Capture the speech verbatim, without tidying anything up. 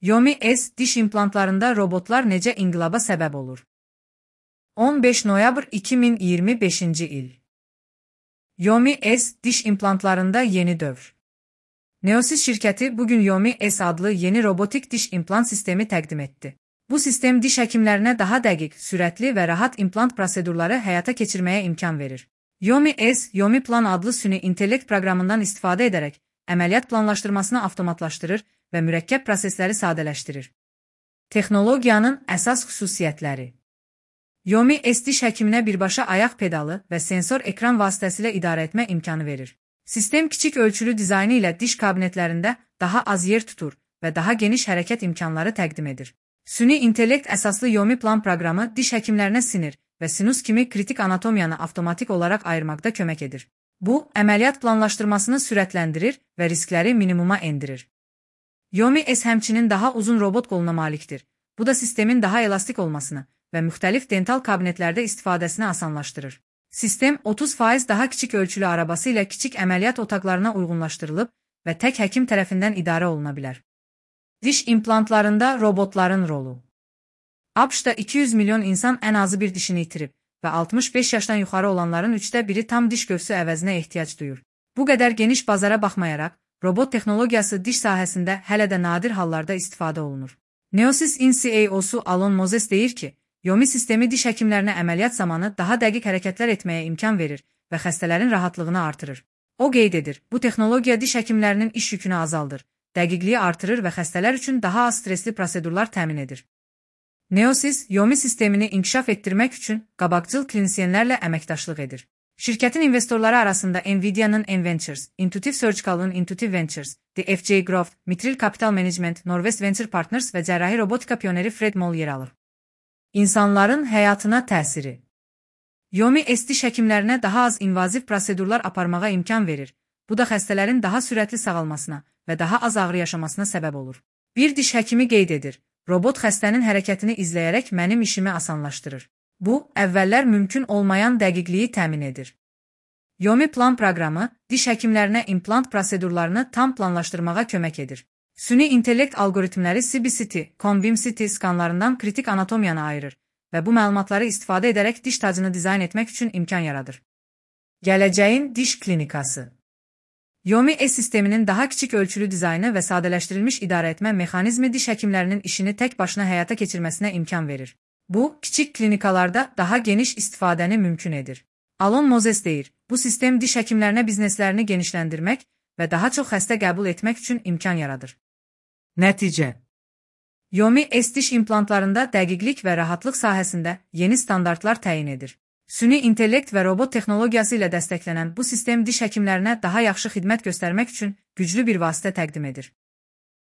Yomi S diş implantlarında robotlar necə inqilaba səbəb olur? on beş noyabr iki min iyirmi beşinci il. Yomi S diş implantlarında yeni dövr. Neosys şirkəti bugün Yomi S adlı yeni robotik diş implant sistemi təqdim etdi. Bu sistem diş həkimlərinə daha dəqiq, sürətli və rahat implant prosedurları həyata keçirməyə imkan verir. Yomi S, Yomi Plan adlı süni intellekt proqramından istifadə edərək əməliyyat planlaşdırmasını avtomatlaşdırır və mürəkkəb prosesləri sadələşdirir. Texnologiyanın əsas xüsusiyyətləri. Yomi S diş həkiminə birbaşa ayaq pedalı və sensor ekran vasitəsilə idarə etmə imkanı verir. Sistem kiçik ölçülü dizaynı ilə diş kabinetlərində daha az yer tutur və daha geniş hərəkət imkanları təqdim edir. Süni intellekt əsaslı Yomi Plan proqramı diş həkimlərinə sinir və sinus kimi kritik anatomiyanı avtomatik olaraq ayırmaqda kömək edir. Bu, əməliyyat planlaşdırmasını sürətləndirir və riskləri minimuma endirir. Yomi S həmçinin daha uzun robot qoluna malikdir. Bu da sistemin daha elastik olmasını və müxtəlif dental kabinetlərdə istifadəsini asanlaşdırır. Sistem otuz faiz daha kiçik ölçülü arabası ilə kiçik əməliyyat otaqlarına uyğunlaşdırılıb və tək həkim tərəfindən idarə oluna bilər. Diş implantlarında robotların rolu. ABŞ-da iki yüz milyon insan ən azı bir dişini itirib və altmış beş yaşdan yuxarı olanların üçdə biri tam diş gövsü əvəzinə ehtiyac duyur. Bu qədər geniş bazara baxmayaraq, robot texnologiyası diş sahəsində hələ də nadir hallarda istifadə olunur. Neosys-in C E O-su Alon Moses deyir ki, Yomi sistemi diş həkimlərinə əməliyyat zamanı daha dəqiq hərəkətlər etməyə imkan verir və xəstələrin rahatlığını artırır. O qeyd edir, bu texnologiya diş həkimlərinin iş yükünü azaldır, dəqiqliyi artırır və xəstələr üçün daha az stresli prosedurlar təmin edir. Neosys, Yomi sistemini inkişaf etdirmək üçün qabaqcıl klinisyenlərlə əməkdaşlıq edir. Şirkətin investorları arasında Nvidia-nın N-Ventures, Intuitive Surgical'ın Intuitive Ventures, The F J Growth, Mitril Capital Management, Norwest Venture Partners və cərrahi robotika pioneri Fred Moll yer alır. İnsanların həyatına təsiri. Yomi S diş həkimlərinə daha az invaziv prosedurlar aparmağa imkan verir. Bu da xəstələrin daha sürətli sağalmasına və daha az ağrı yaşamasına səbəb olur. Bir diş həkimi qeyd edir, robot xəstənin hərəkətini izləyərək mənim işimi asanlaşdırır. Bu, əvvəllər mümkün olmayan dəqiqliyi təmin edir. Yomi Plan proqramı diş həkimlərinə implant prosedurlarını tam planlaşdırmağa kömək edir. Süni intellekt algoritmləri C B C T, Conbeam C T skanlarından kritik anatomiyanı ayırır və bu məlumatları istifadə edərək diş tacını dizayn etmək üçün imkan yaradır. Gələcəyin diş klinikası. Yomi S sisteminin daha kiçik ölçülü dizaynı və sadələşdirilmiş idarə etmə mexanizmi diş həkimlərinin işini tək başına həyata keçirməsinə imkan verir. Bu, kiçik klinikalarda daha geniş istifadəni mümkün edir. Alon Moses deyir, bu sistem diş həkimlərinə bizneslərini genişləndirmək və daha çox xəstə qəbul etmək üçün imkan yaradır. Nəticə. Yomi S diş implantlarında dəqiqlik və rahatlıq sahəsində yeni standartlar təyin edir. Süni intellekt və robot texnologiyası ilə dəstəklənən bu sistem diş həkimlərinə daha yaxşı xidmət göstərmək üçün güclü bir vasitə təqdim edir.